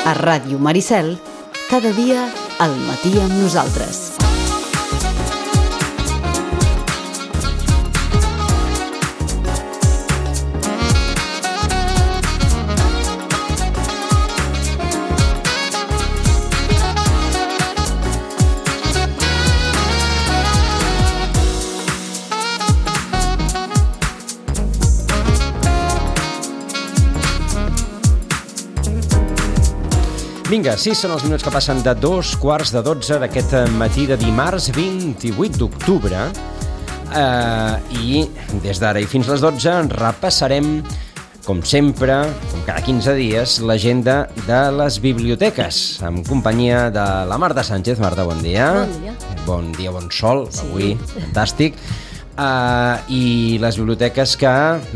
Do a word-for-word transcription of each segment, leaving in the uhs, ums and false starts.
A Ràdio Maricel, cada dia al matí amb nosaltres. Vinga, sí, són els minuts que passen de dos quarts de dotze d'aquest matí de dimarts vint-i-vuit d'octubre eh, i des d'ara i fins les dotze repassarem, com sempre, com cada quinze dies, l'agenda de les biblioteques, en companyia de la Marta Sánchez. Marta, bon dia. Bon dia. Bon dia, bon sol, sí. Avui, fantàstic. Uh, i les biblioteques que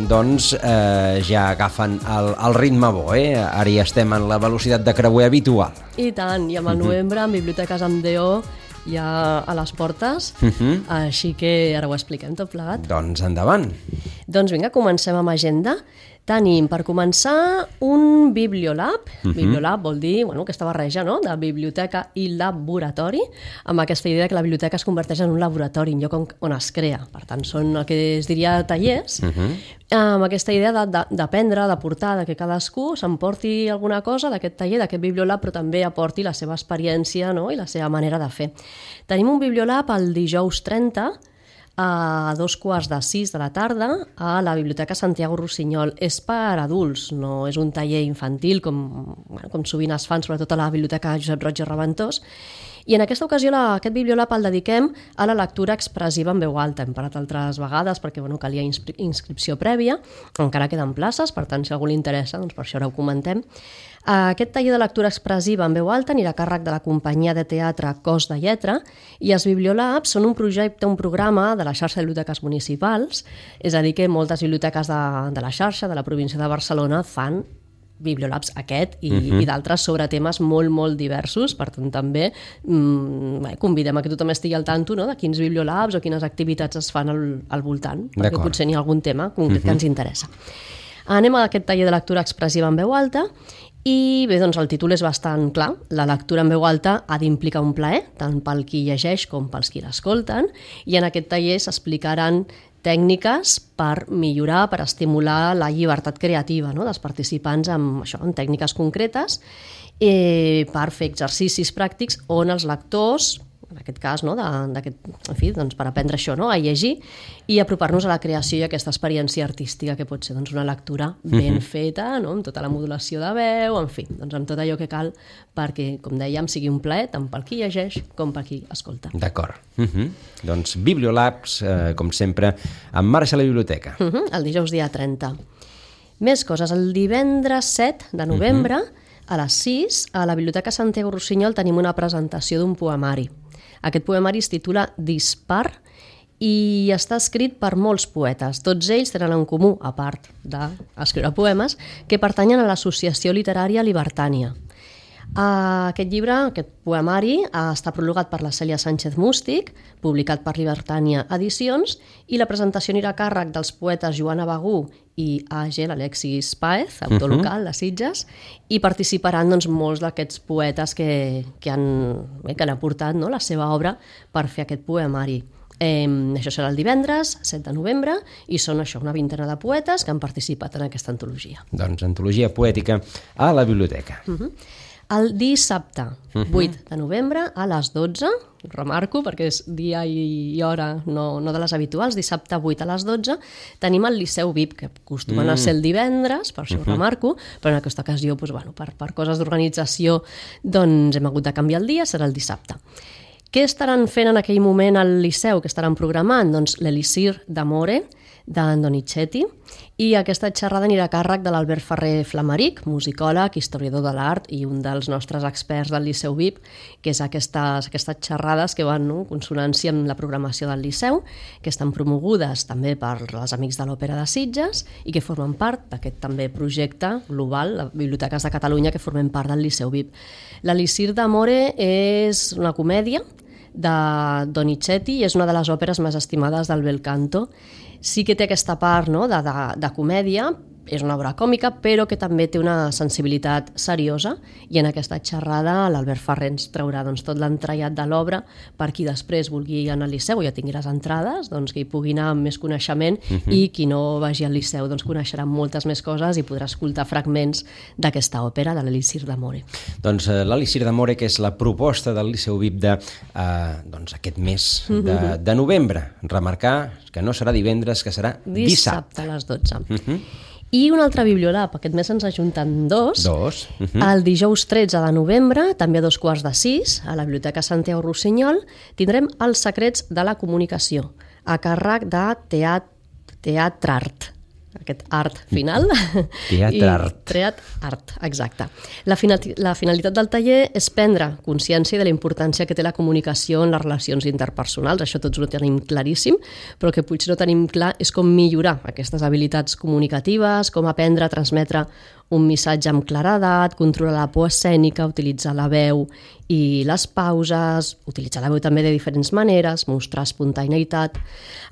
doncs uh, ja agafen el, el ritme bo, eh? Ara ja estem en la velocitat de creuer habitual. I tant, i amb el novembre amb biblioteques amb D O ja a les portes, uh-huh. Així que ara ho expliquem tot plegat. Doncs endavant. Doncs vinga, comencem amb agenda. Tenim, per començar, un Bibliolab. Uh-huh. Bibliolab vol dir, bueno, aquesta barreja, no?, de biblioteca i laboratori, amb aquesta idea que la biblioteca es converteix en un laboratori, en lloc on, on es crea. Per tant, són el que es diria tallers, uh-huh. amb aquesta idea d'aprendre, de, de portar, de que cadascú s'emporti alguna cosa d'aquest taller, d'aquest Bibliolab, però també aporti la seva experiència, no?, i la seva manera de fer. Tenim un Bibliolab el dijous trenta, a dos quarts de sis de la tarda a la Biblioteca Santiago Rossinyol. És per adults, no és un taller infantil com, bueno, com sovint es fan, sobretot a la Biblioteca Josep Roig i Reventós. I en aquesta ocasió la, aquest Bibliolab el dediquem a la lectura expressiva en veu alta. Hem parlat altres vegades perquè bueno, calia inscri inscripció prèvia, encara queden places, per tant, si a algú li interessa, doncs per això ara ho comentem. Aquest taller de lectura expressiva en veu alta anirà a càrrec de la companyia de teatre Cos de Lletra i els Bibliolabs són un projecte, un programa de la xarxa de biblioteques municipals, és a dir, que moltes biblioteques de, de la xarxa de la província de Barcelona fan Bibliolabs aquest i, uh-huh. i d'altres sobre temes molt, molt diversos. Per tant, també mmm, bé, convidem a que tothom estigui al tanto, no?, de quins Bibliolabs o quines activitats es fan al, al voltant, perquè potser n'hi ha algun tema concret uh-huh. que ens interessa. Anem a aquest taller de lectura expressiva en veu alta. I bé, doncs el títol és bastant clar. La lectura en veu alta ha d'implicar un plaer, tant pel qui llegeix com pels qui l'escolten, i en aquest taller s'explicaran tècniques per millorar, per estimular la llibertat creativa, no?, dels participants amb, això, amb tècniques concretes, eh, per fer exercicis pràctics on els lectors, en aquest cas, no, de, en fi, doncs per aprendre això, no?, a llegir i apropar-nos a la creació i a aquesta experiència artística que pot ser doncs, una lectura ben uh-huh. feta, no?, amb tota la modulació de veu, en fi, doncs amb tot allò que cal perquè, com dèiem, sigui un plaer tant pel qui llegeix com per qui escolta. D'acord. Uh-huh. Doncs Bibliolabs, eh, com sempre, en marxa a la biblioteca. Uh-huh. El dijous dia trenta. Més coses. El divendres set de novembre, uh-huh. a les sis, a la Biblioteca Santiago Rossinyol tenim una presentació d'un poemari. Aquest poemari es titula Dispar i està escrit per molts poetes. Tots ells tenen en comú, a part d'escriure poemes, que pertanyen a l'Associació Literària Libertània. Aquest llibre, aquest poemari, està prologat per la Cèlia Sánchez Mústic, publicat per Libertània Edicions, i la presentació anirà a càrrec dels poetes Joana Bagú i A G, l'Alexis Páez, autor uh-huh. local de Sitges, i participaran doncs, molts d'aquests poetes que, que, han, bé, que han aportat, no?, la seva obra per fer aquest poemari. Eh, això serà el divendres, set de novembre, i són això, una vintena de poetes que han participat en aquesta antologia. Doncs antologia poètica a la biblioteca. Uh-huh. El dissabte, uh-huh. vuit de novembre, a les dotze, remarco perquè és dia i hora no, no de les habituals, dissabte vuit a les dotze, tenim el Liceu V I P, que acostumen mm. a ser el divendres, per això uh-huh. ho remarco, però en aquesta ocasió, doncs, bueno, per, per coses d'organització, doncs hem hagut de canviar el dia, serà el dissabte. Què estaran fent en aquell moment al Liceu? Què estaran programant? Doncs l'Elisir d'Amore, d'en Donizetti, i aquesta xerrada anirà a càrrec de l'Albert Ferrer Flamaric, musicòleg, historiador de l'art i un dels nostres experts del Liceu V I P, que és aquestes, aquestes xerrades que van, no?, en consonància amb la programació del Liceu, que estan promogudes també per els Amics de l'Òpera de Sitges i que formen part d'aquest també projecte global, les Biblioteques de Catalunya, que formen part del Liceu V I P. L'Elisir d'Amore és una comèdia de Donizetti i és una de les òperes més estimades del bel canto. Sí que té aquesta part, no?, de, de, de comèdia, és una obra còmica, però que també té una sensibilitat seriosa, i en aquesta xerrada l'Albert Ferrer ens traurà doncs, tot l'entrellat de l'obra per qui després vulgui anar al Liceu o ja tingui les entrades, doncs, que hi pugui anar amb més coneixement, uh-huh. i qui no vagi al Liceu doncs, coneixerà moltes més coses i podrà escoltar fragments d'aquesta òpera de l'Elixir d'Amore. Doncs uh, l'Elixir d'Amore, que és la proposta del Liceu V I P de uh, doncs, aquest mes de, de novembre. Remarcar que no serà divendres, que serà dissabte. Dissabte a les dotze. Uh-huh. I un altre Bibliolab, aquest mes ens ajunten dos. Dos. Uh-huh. El dijous tretze de novembre, també a dos quarts de sis, a la Biblioteca Santiago Rossinyol, tindrem Els secrets de la comunicació, a càrrec de Teat Teatrart. Aquest art final. Teatrart. Teatrart, exacte. La, finali la finalitat del taller és prendre consciència de la importància que té la comunicació en les relacions interpersonals. Això tots ho tenim claríssim, però el que potser no tenim clar és com millorar aquestes habilitats comunicatives, com aprendre a transmetre un missatge amb claredat, controlar la por escènica, utilitzar la veu i les pauses, utilitzar la veu també de diferents maneres, mostrar espontaneïtat.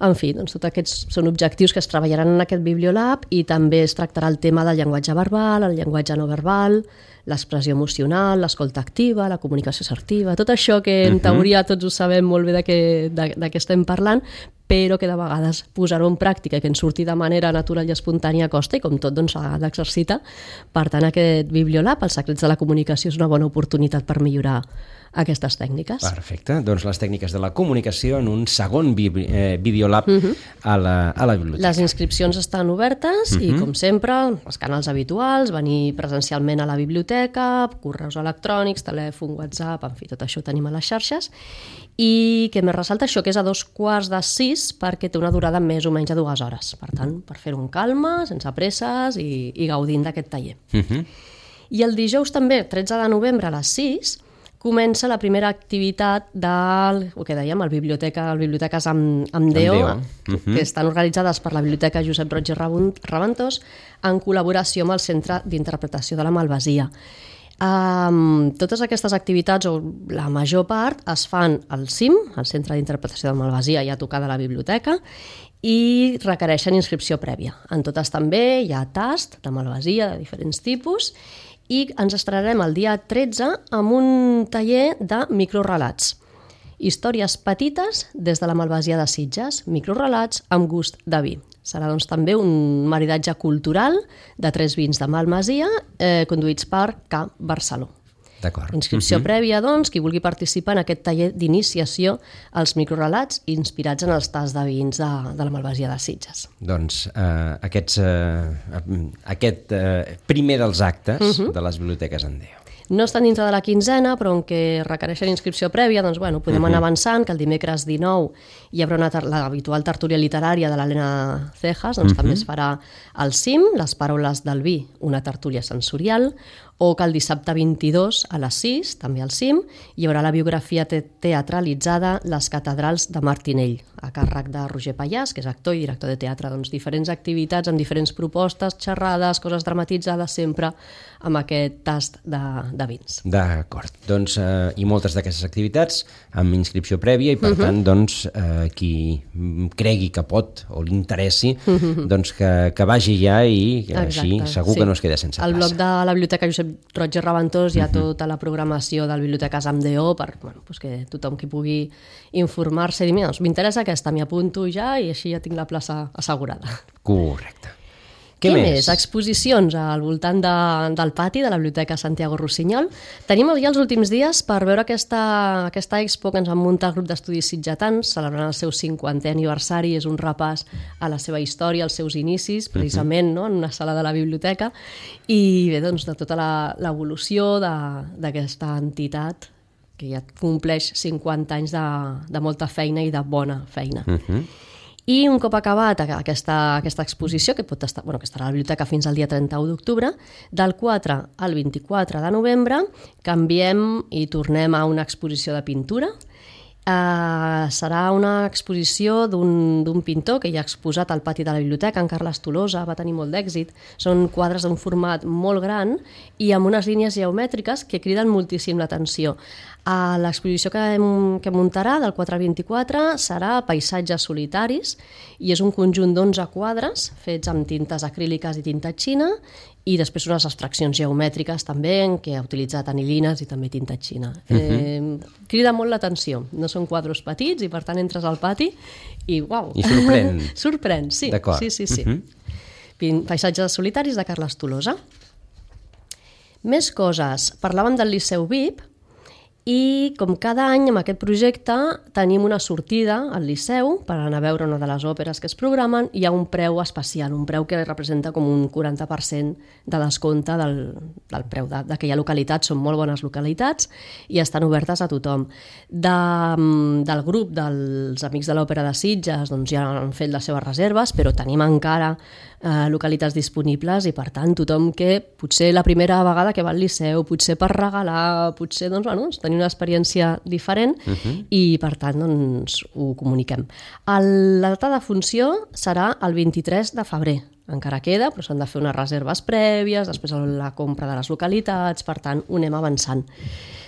En fi, doncs tots aquests són objectius que es treballaran en aquest Bibliolab, i també es tractarà el tema del llenguatge verbal, el llenguatge no verbal, l'expressió emocional, l'escolta activa, la comunicació assertiva, tot això que en teoria tots ho sabem molt bé de què, de, de què estem parlant, però que de vegades posar-ho en pràctica i que ens surti de manera natural i espontània costa, i com tot doncs s'ha d'exercitar. Per tant, aquest Bibliolab, Els secrets de la comunicació, és una bona oportunitat per millorar aquestes tècniques. Perfecte, doncs les tècniques de la comunicació en un segon eh, Videolab uh -huh. a, la, a la biblioteca. Les inscripcions estan obertes uh -huh. i, com sempre, els canals habituals, venir presencialment a la biblioteca, correus electrònics, telèfon, WhatsApp, en fi, tot això ho tenim a les xarxes. I que més ressalta això, que és a dos quarts de sis, perquè té una durada més o menys de dues hores. Per tant, per fer-ho amb calma, sense presses i, i gaudint d'aquest taller. Uh -huh. I el dijous també, tretze de novembre a les sis, comença la primera activitat del, el que dèiem, el biblioteca, el Biblioteques amb, amb Déu, uh -huh. que estan organitzades per la Biblioteca Josep Roig i Raventós en col·laboració amb el Centre d'Interpretació de la Malvasia. Um, totes aquestes activitats, o la major part, es fan al C I M, al Centre d'Interpretació de la Malvasia, ja tocada a la biblioteca, i requereixen inscripció prèvia. En totes també hi ha tast de malvasia de diferents tipus, i ens estrenarem el dia tretze amb un taller de microrelats. Històries petites des de la Malvasia de Sitges, microrelats amb gust de vi. Serà doncs, també un maridatge cultural de tres vins de Malvasia, eh, conduïts per K. Barceló. D'acord. Inscripció uh-huh. prèvia, doncs, qui vulgui participar en aquest taller d'iniciació als microrelats inspirats en els tasts de vins de, de la Malvasia de Sitges. Doncs eh, aquests, eh, aquest eh, primer dels actes uh-huh. de les biblioteques en Déu. No estan dintre de la quinzena, però on que requereixen inscripció prèvia, doncs bueno, podem uh-huh. anar avançant, que el dimecres dinou hi haurà una l'habitual tertúlia literària de l'Helena Cejas, doncs uh-huh. també es farà al C I M, Les paraules del vi, una tertúlia sensorial, o que el dissabte vint-i-dos a les sis, també al C I M, hi haurà la biografia te teatralitzada Les catedrals de Martinell, a càrrec de Roger Pallàs, que és actor i director de teatre. Doncs diferents activitats amb diferents propostes, xerrades, coses dramatitzades, sempre amb aquest tast de, de vins. D'acord. Doncs, eh, i moltes d'aquestes activitats amb inscripció prèvia, i per uh-huh. tant, doncs, eh, qui cregui que pot o li interessi, uh-huh. doncs que, que vagi ja, i que així segur sí. que no es queda sense plaça. Al blog de la Biblioteca Josep Roig i Raventós hi ha uh-huh. tota la programació del Biblioteques amb Déu, per bueno, pues que tothom qui pugui informar-se i dir, mira, doncs m'interessa aquesta, m'hi apunto ja i així ja tinc la plaça assegurada. Correcte. Què, Què més? més? Exposicions al voltant de, del pati de la Biblioteca Santiago Rossinyol. Tenim ja els últims dies per veure aquesta, aquesta expo que ens van muntar el grup d'estudis sitgetans, celebrant el seu cinquantè aniversari. És un repàs a la seva història, als seus inicis, precisament uh-huh. no? en una sala de la biblioteca, i bé, doncs, de tota l'evolució d'aquesta entitat que ja compleix cinquanta anys de, de molta feina i de bona feina. Uh-huh. I un cop acabat aquesta, aquesta exposició, que pot estar, bueno, que estarà a la biblioteca fins al dia trenta-u d'octubre, del quatre al vint-i-quatre de novembre canviem i tornem a una exposició de pintura, Uh, serà una exposició d'un pintor que hi ha exposat al pati de la biblioteca, en Carles Tolosa, va tenir molt d'èxit. Són quadres d'un format molt gran i amb unes línies geomètriques que criden moltíssim l'atenció. Uh, l'exposició que, que muntarà del quatre al vint-i-quatre serà Paisatges solitaris i és un conjunt d'onze quadres fets amb tintes acríliques i tinta xina i després unes abstraccions geomètriques també en què ha utilitzat anilines i també tinta xina. Uh-huh. eh, crida molt l'atenció, no són quadres petits i per tant entres al pati i uau! I sorprèn. Sorprèn, sí. D'acord. Sí, sí, sí. Uh-huh. Paisatges solitaris de Carles Tolosa. Més coses. Parlàvem del Liceu V I P i com cada any amb aquest projecte tenim una sortida al Liceu per anar a veure una de les òperes que es programen i hi ha un preu especial, un preu que representa com un quaranta per cent de descompte del, del preu d'aquella localitat. Són molt bones localitats i estan obertes a tothom. De, del grup dels Amics de l'Òpera de Sitges doncs ja han fet les seves reserves, però tenim encara eh, localitats disponibles i per tant tothom que potser la primera vegada que va al Liceu, potser per regalar, potser doncs, bueno, tenir una experiència diferent uh-huh. i per tant doncs, ho comuniquem. El, la data de funció serà el vint-i-tres de febrer. Encara queda, però s'han de fer unes reserves prèvies, després la compra de les localitats, per tant ho anem avançant.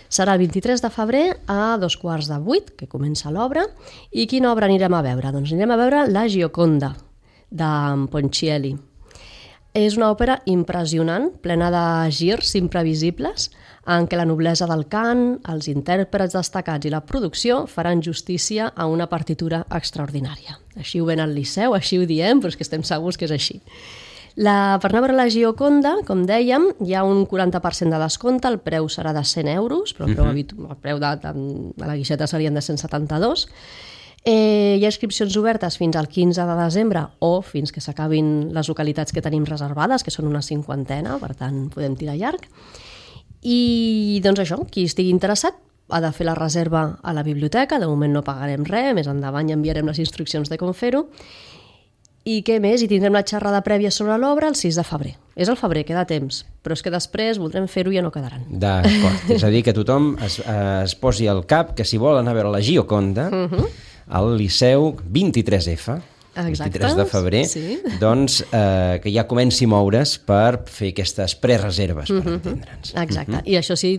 Serà el vint-i-tres de febrer a dos quarts de vuit, que comença l'obra. I quina obra anirem a veure? Doncs anirem a veure La Gioconda, de Ponchielli. És una òpera impressionant, plena de girs imprevisibles, en què la noblesa del cant, els intèrprets destacats i la producció faran justícia a una partitura extraordinària. Així ho ven al Liceu, així ho diem, però és que estem segurs que és així. La, per anar a veure la Gioconda, com dèiem, hi ha un quaranta per cent de descompte, el preu serà de cent euros, però el preu, uh-huh. el preu de, de, de la guixeta serien de cent setanta-dos. Eh, hi ha inscripcions obertes fins al quinze de desembre o fins que s'acabin les localitats que tenim reservades, que són una cinquantena, per tant podem tirar llarg. I doncs això, qui estigui interessat ha de fer la reserva a la biblioteca, de moment no pagarem res, més endavant ja enviarem les instruccions de com fer-ho. I què més? I tindrem la xerrada prèvia sobre l'obra el sis de febrer. És el febrer, queda temps, però és que després voldrem fer-ho i ja no quedaran. D'acord, és a dir, que tothom es, es posi al cap que si vol anar a veure la Gioconda, uh-huh. al Liceu vint-i-tres F, exacte, vint-i-tres de febrer, sí. doncs eh, que ja comenci a moure's per fer aquestes prereserves, per uh-huh. entendre'ns. Exacte, uh-huh. i això sí,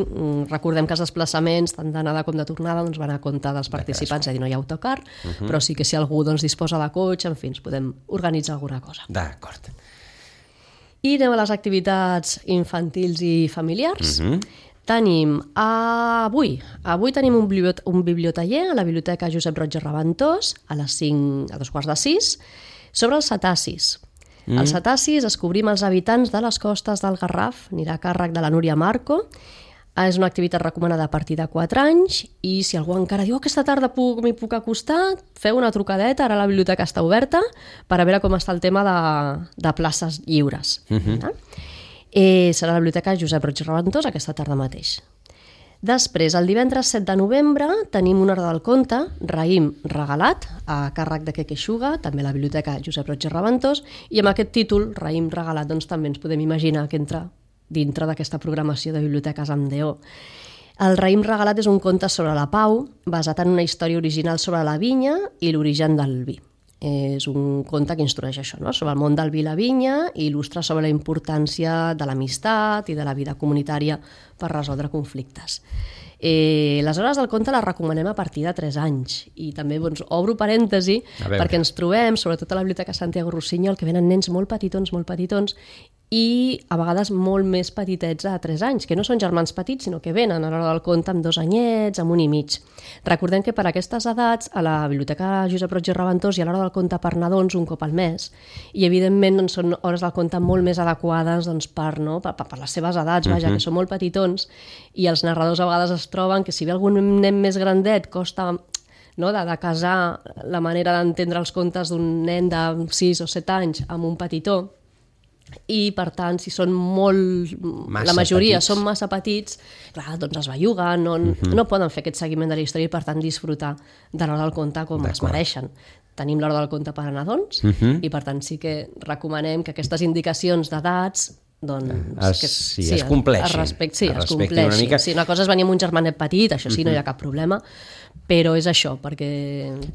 recordem que els desplaçaments, tant d'anada com de tornada, doncs van a compte dels participants, és a dir, no hi ha autocar, uh-huh. però sí que si algú doncs, disposa de cotxe, en fi, ens podem organitzar alguna cosa. D'acord. I anem a les activitats infantils i familiars. Uh-huh. Tenim avui, avui tenim un, bibliot un bibliotaller a la Biblioteca Josep Roig i Reventós a les cinc, a dos quarts de sis, sobre els cetacis. Mm. Els cetacis descobrim els habitants de les costes del Garraf, anirà a càrrec de la Núria Marco. És una activitat recomanada a partir de quatre anys i si algú encara diu oh, aquesta tarda puc, m'hi puc acostar, feu una trucadeta, ara la biblioteca està oberta, per a veure com està el tema de, de places lliures. Mm-hmm. eh? Eh, serà a la Biblioteca Josep Roig i Reventós aquesta tarda mateix. Després, el divendres set de novembre, tenim una hora del conte, Raïm regalat, a càrrec de Quequeixuga, també a la Biblioteca Josep Roig i Reventós, i amb aquest títol, Raïm regalat, doncs també ens podem imaginar que entra dintre d'aquesta programació de biblioteques amb D O. El Raïm regalat és un conte sobre la pau, basat en una història original sobre la vinya i l'origen del vi. És un conte que instrueix això, no? Sobre el món del vi i la vinya i il·lustra sobre la importància de l'amistat i de la vida comunitària per resoldre conflictes. Eh, les hores del conte les recomanem a partir de tres anys i també doncs, obro parèntesi perquè ens trobem, sobretot a la Biblioteca Santiago Rossinyol, que venen nens molt petitons, molt petitons i a vegades molt més petitets a tres anys, que no són germans petits, sinó que venen a l'hora del conte amb dos anyets, amb un i mig. Recordem que per aquestes edats a la Biblioteca Josep Roig i Reventós hi ha l'hora del conte per nadons un cop al mes i evidentment doncs, són hores del conte molt més adequades doncs, per, no? per, per les seves edats, vaja, uh-huh. que són molt petitons i els narradors a vegades es troben que si ve algun nen més grandet costa no? de, de casar la manera d'entendre els contes d'un nen de sis o set anys amb un petitó i per tant si són molt massa la majoria petits. Són massa petits clar, doncs es belluguen no, uh-huh. no poden fer aquest seguiment de la història i per tant disfrutar de l'hora del conte com es mereixen. Tenim l'hora del conte per a nadons uh-huh. i per tant sí que recomanem que aquestes indicacions d'edats doncs... Es, que, sí, sí, es compleixin. Respecte, sí, es es compleixin. Una, mica... sí, una cosa és venir amb un germanet petit, això sí, uh-huh. no hi ha cap problema, però és això, perquè,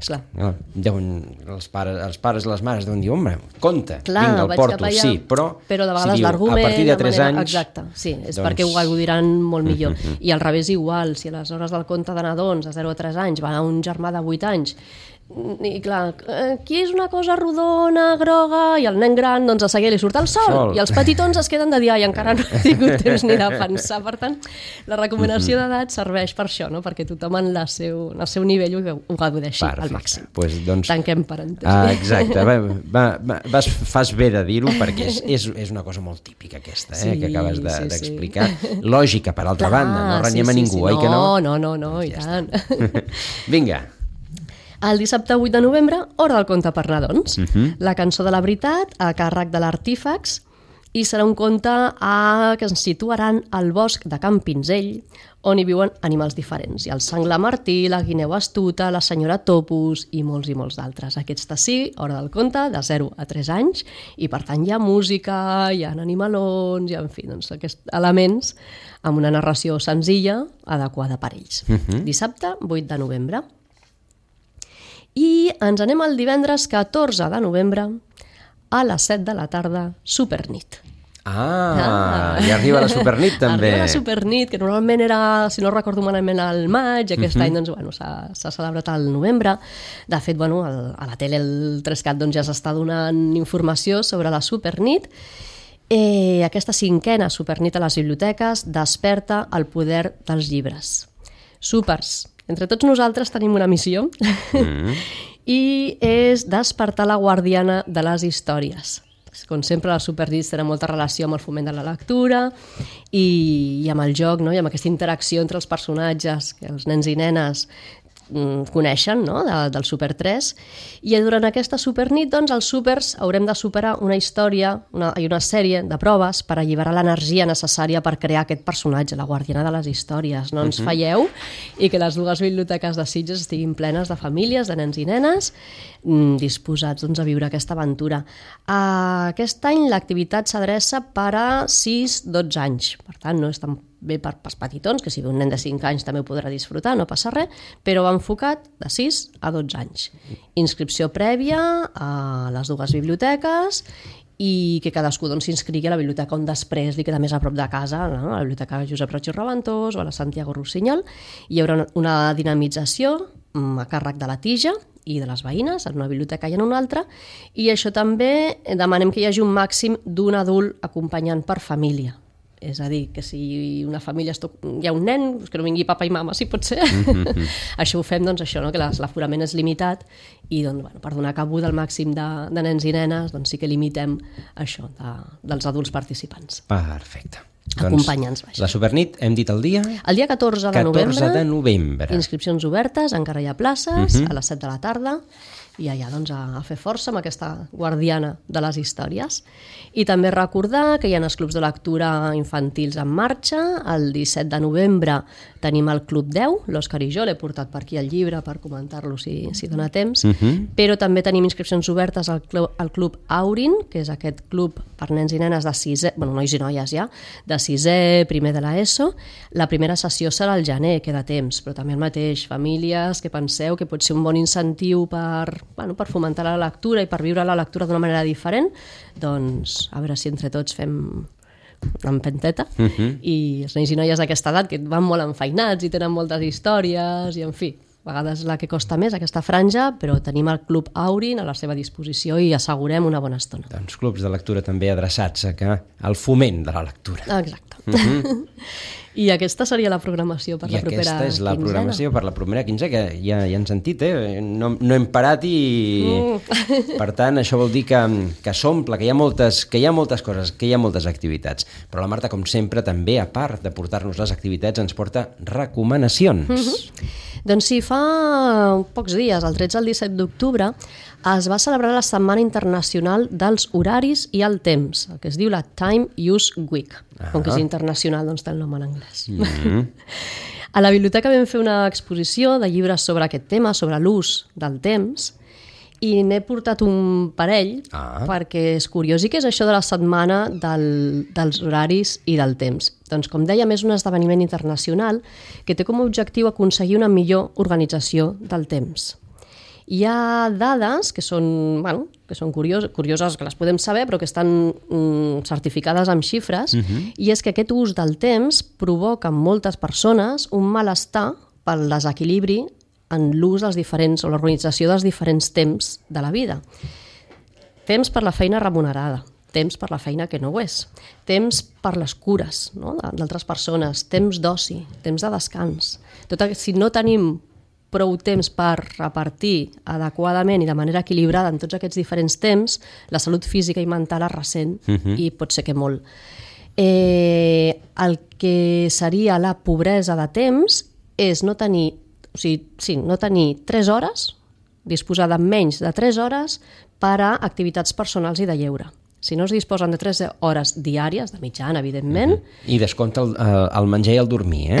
clar... No, deuen, els, pares, els pares i les mares deuen dir, home, compte, clar, vinga, el porto, allà, sí, però... Però de vegades si diu, l'argument... a partir de tres manera, anys... Exacte, sí, és doncs... perquè ho gaudiran molt millor. Uh-huh. I al revés igual, si a les hores del conte de nadons, de zero a tres anys, va un germà de vuit anys, i clar, aquí és una cosa rodona, groga, i el nen gran, doncs a seguir li surt el sol, sol, i els petitons es queden de dia i encara no he tingut temps ni de pensar. Per tant, la recomanació uh-huh. d'edat serveix per això, no? Perquè tothom en la seu, en el seu nivell ho, ho gaudeixi al màxim. Pues, doncs... Tanquem parèntesi. Ah, exacte, va, va, va, vas, fas bé de dir-ho perquè és, és, és una cosa molt típica aquesta, eh, sí, que acabes de, sí, d'explicar. Sí. Lògica, per altra clar, banda, no renyem sí, a ningú, sí, sí. oi no, que no? No, no, no, i ja tant. Vinga. El dissabte vuit de novembre, hora del conte per nadons. Uh-huh. La cançó de la veritat, a càrrec de l'Artífax, i serà un conte a... que ens situaran al bosc de Can Pinzell, on hi viuen animals diferents. Hi ha el senglar martí, la guineu astuta, la senyora Topus i molts i molts d'altres. Aquesta sí, hora del conte, de zero a tres anys, i per tant hi ha música, hi ha animalons, hi ha, en fi, doncs, aquests elements amb una narració senzilla, adequada per ells. Uh-huh. Dissabte, vuit de novembre. I ens anem el divendres catorze de novembre a les set de la tarda, Supernit. Ah, ah, i arriba la Supernit també. Arriba la Supernit, que normalment era, si no recordo malament, al maig, aquest uh-huh. any doncs, bueno, s'ha, s'ha celebrat al novembre. De fet, bueno, el, a la tele el tres cat doncs, ja s'està donant informació sobre la Supernit. Eh, aquesta cinquena Supernit a les biblioteques desperta el poder dels llibres. Súpers! Entre tots nosaltres tenim una missió mm. i és despertar la guardiana de les històries. Com sempre, la Supernit tenen molta relació amb el foment de la lectura i, i amb el joc, no? I amb aquesta interacció entre els personatges que els nens i nenes coneixen, no? de, del Super tres, i durant aquesta Supernit doncs, els súpers haurem de superar una història una, i una sèrie de proves per alliberar l'energia necessària per crear aquest personatge, la guardiana de les històries. No ens uh-huh. falleu i que les dues biblioteques de Sitges estiguin plenes de famílies, de nens i nenes disposats doncs, a viure aquesta aventura. Uh, aquest any l'activitat s'adreça per a sis a dotze anys, per tant no és tan bé per pels petitons, que si ve un nen de cinc anys també ho podrà disfrutar, no passa res, però va enfocat de sis a dotze anys. Inscripció prèvia a les dues biblioteques i que cadascú doncs, s'inscrigui a la biblioteca on després li queda més a prop de casa, no? A la biblioteca Josep Roig i Reventós o a la Santiago Rossinyol. Hi haurà una dinamització a càrrec de la tija i de les veïnes, en una biblioteca i en una altra, i això també demanem que hi hagi un màxim d'un adult acompanyant per família. És a dir, que si una família esto... hi ha un nen, que no vingui papa i mama, si pot ser. Mm-hmm. Això ho fem, doncs, això, no? Que l'aforament és limitat i doncs, bueno, per donar cabuda al màxim de, de nens i nenes, doncs sí que limitem això de, dels adults participants. Perfecte. Acompanyants, doncs, la Supernit, hem dit el dia? El dia catorze de novembre. catorze de novembre. Inscripcions obertes, encara hi ha places, uh-huh. a les set de la tarda, i allà doncs, a, a fer força amb aquesta guardiana de les històries. I també recordar que hi ha els clubs de lectura infantils en marxa. El disset de novembre tenim el Club deu, l'Òscar i jo l'he portat per aquí el llibre per comentar-lo si, si dona temps, uh-huh. però també tenim inscripcions obertes al club, al club Aurin, que és aquest club per nens i nenes de sisè, bueno, nois i noies ja, de sisè, primer de l'ESO. La primera sessió serà al gener, queda temps, però també el mateix, famílies que penseu que pot ser un bon incentiu per, bueno, per fomentar la lectura i per viure la lectura d'una manera diferent, doncs a veure si entre tots fem una empenteta uh-huh. i els nens i noies d'aquesta edat que van molt enfeinats i tenen moltes històries i en fi, a vegades la que costa més aquesta franja, però tenim el Club Aurin a la seva disposició i assegurem una bona estona. Doncs clubs de lectura també adreçats a que al foment de la lectura. Exacte. Uh-huh. I aquesta seria la programació per I la propera quinzena. I aquesta és la programació per la primera quinzena, que ja, ja han sentit, eh? No, no hem parat i... Mm. Per tant, això vol dir que, que s'omple, que hi ha moltes, que hi ha moltes coses, que hi ha moltes activitats. Però la Marta, com sempre, també, a part de portar-nos les activitats, ens porta recomanacions. Mm-hmm. Doncs sí, fa pocs dies, el tretze al disset d'octubre, es va celebrar la Setmana Internacional dels Horaris i el Temps, el que es diu la Time Use Week. Ah. Com que és internacional, doncs té el nom en anglès. Mm-hmm. A la biblioteca vam fer una exposició de llibres sobre aquest tema, sobre l'ús del temps, i n'he portat un parell Ah. perquè és curiós. I què és això de la setmana del, dels horaris i del temps? Doncs, com dèiem, és un esdeveniment internacional que té com a objectiu aconseguir una millor organització del temps. Hi ha dades que són, bueno, que són curioses, curioses, que les podem saber, però que estan mm, certificades amb xifres, uh-huh. i és que aquest ús del temps provoca en moltes persones un malestar pel desequilibri en l'ús dels diferents, o l'organització dels diferents temps de la vida. Temps per la feina remunerada, temps per la feina que no ho és, temps per les cures, no?, d'altres persones, temps d'oci, temps de descans. Tot, si no tenim prou temps per repartir adequadament i de manera equilibrada en tots aquests diferents temps, la salut física i mental es ressent, uh-huh. i pot ser que molt. Eh, el que seria la pobresa de temps és no tenir, o sigui, sí, no tenir tres hores, disposar de menys de tres hores per a activitats personals i de lleure. Si no es disposen de tres hores diàries, de mitjana, evidentment... Uh-huh. I descompta el, el menjar i el dormir, eh?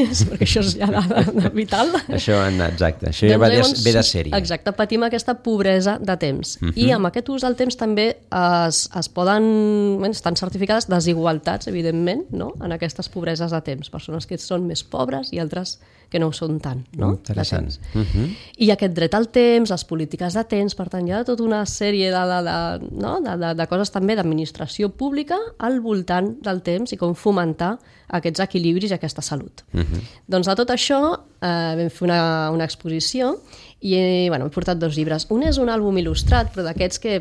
Sí, perquè això és ja de, de vital. Això, exacte, això ja doncs va de, llavors, ve de sèrie. Exacte, patim aquesta pobresa de temps. Uh-huh. I amb aquest ús del temps també es, es poden... Bé, estan certificades desigualtats, evidentment, no?, en aquestes pobreses de temps. Persones que són més pobres i altres que no ho són tant, no? Interessant. Uh-huh. I aquest dret al temps, les polítiques de temps, per tant, hi ha tota una sèrie de, de, de, no? de, de, de coses també d'administració pública al voltant del temps i com fomentar aquests equilibris i aquesta salut. Uh-huh. Doncs de tot això eh, vam fer una, una exposició i bueno, he portat dos llibres. Un és un àlbum il·lustrat, però d'aquests que,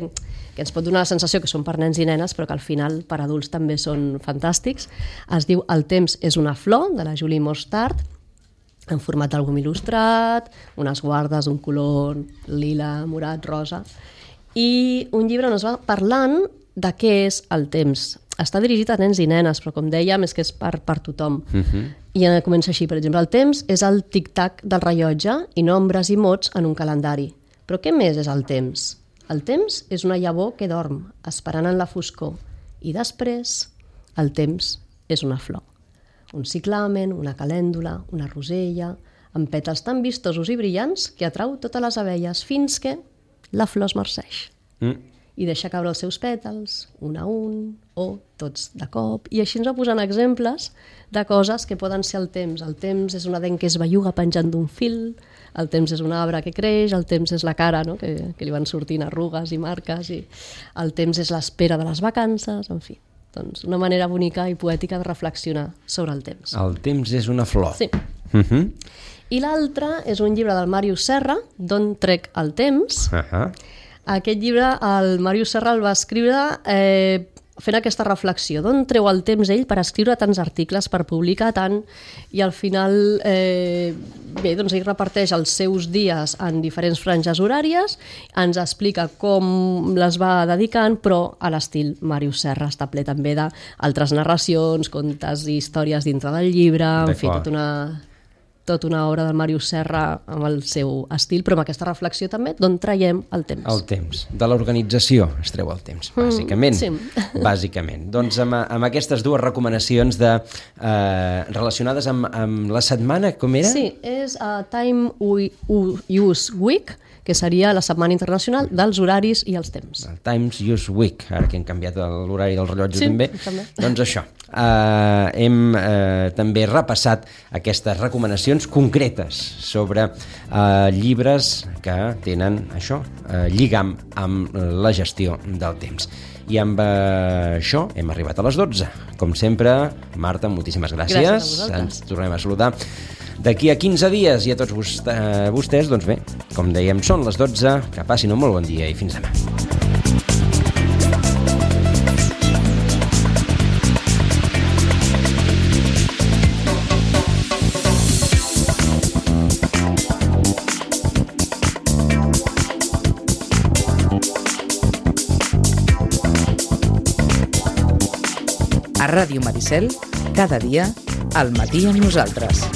que ens pot donar la sensació que són per nens i nenes, però que al final per adults també són fantàstics. Es diu El temps és una flor, de la Julie Mostard, en format d'àlbum il·lustrat, unes guardes d'un color lila, morat, rosa, i un llibre on es va parlant de què és el temps. Està dirigit a nens i nenes, però com dèiem és que és per, per tothom. Uh-huh. I comença així, per exemple, el temps és el tic-tac del rellotge i nombres i mots en un calendari. Però què més és el temps? El temps és una llavor que dorm, esperant en la foscor. I després, el temps és una flor. Un ciclamen, una calèndula, una rosella, amb pètals tan vistosos i brillants que atrau totes les abelles fins que la flor es marceix. Mm. I deixa caure els seus pètals, un a un, o tots de cop. I així ens va posant exemples de coses que poden ser el temps. El temps és una dent que es belluga penjant d'un fil, el temps és un arbre que creix, el temps és la cara, no?, que, que li van sortint arrugues i marques, i el temps és l'espera de les vacances, en fi. Doncs una manera bonica i poètica de reflexionar sobre el temps. El temps és una flor. Sí. Uh-huh. I l'altre és un llibre del Màrius Serra, D'on trec el temps. Uh-huh. Aquest llibre el Màrius Serra el va escriure eh, fent aquesta reflexió. D'on treu el temps ell per escriure tants articles, per publicar tant, i al final eh, bé, doncs ell reparteix els seus dies en diferents franges horàries, ens explica com les va dedicant, però a l'estil Màrius Serra. Està ple també d'altres narracions, contes i històries dintre del llibre, en fi, tota una... tota una obra del Màrius Serra amb el seu estil, però amb aquesta reflexió també d'on traiem el temps. El temps. De l'organització es treu el temps, bàsicament. Mm, sí. Bàsicament. Doncs amb, amb aquestes dues recomanacions de, eh, relacionades amb, amb la setmana, com era? Sí, és uh, Time Use Week, que seria la Setmana Internacional dels Horaris i els Temps. El Times Use Week, ara que hem canviat l'horari del rellotge sí, també. també. Doncs això, eh, hem eh, també repassat aquestes recomanacions concretes sobre eh, llibres que tenen això, eh, lligam amb la gestió del temps. I amb eh, això hem arribat a les dotze. Com sempre, Marta, moltíssimes gràcies. Gràcies a vosaltres. Ens tornem a saludar d'aquí a quinze dies, i a tots vostès, doncs bé, com dèiem, són les dotze, que passin un molt bon dia i fins demà. A Ràdio Maricel, cada dia, al matí amb nosaltres.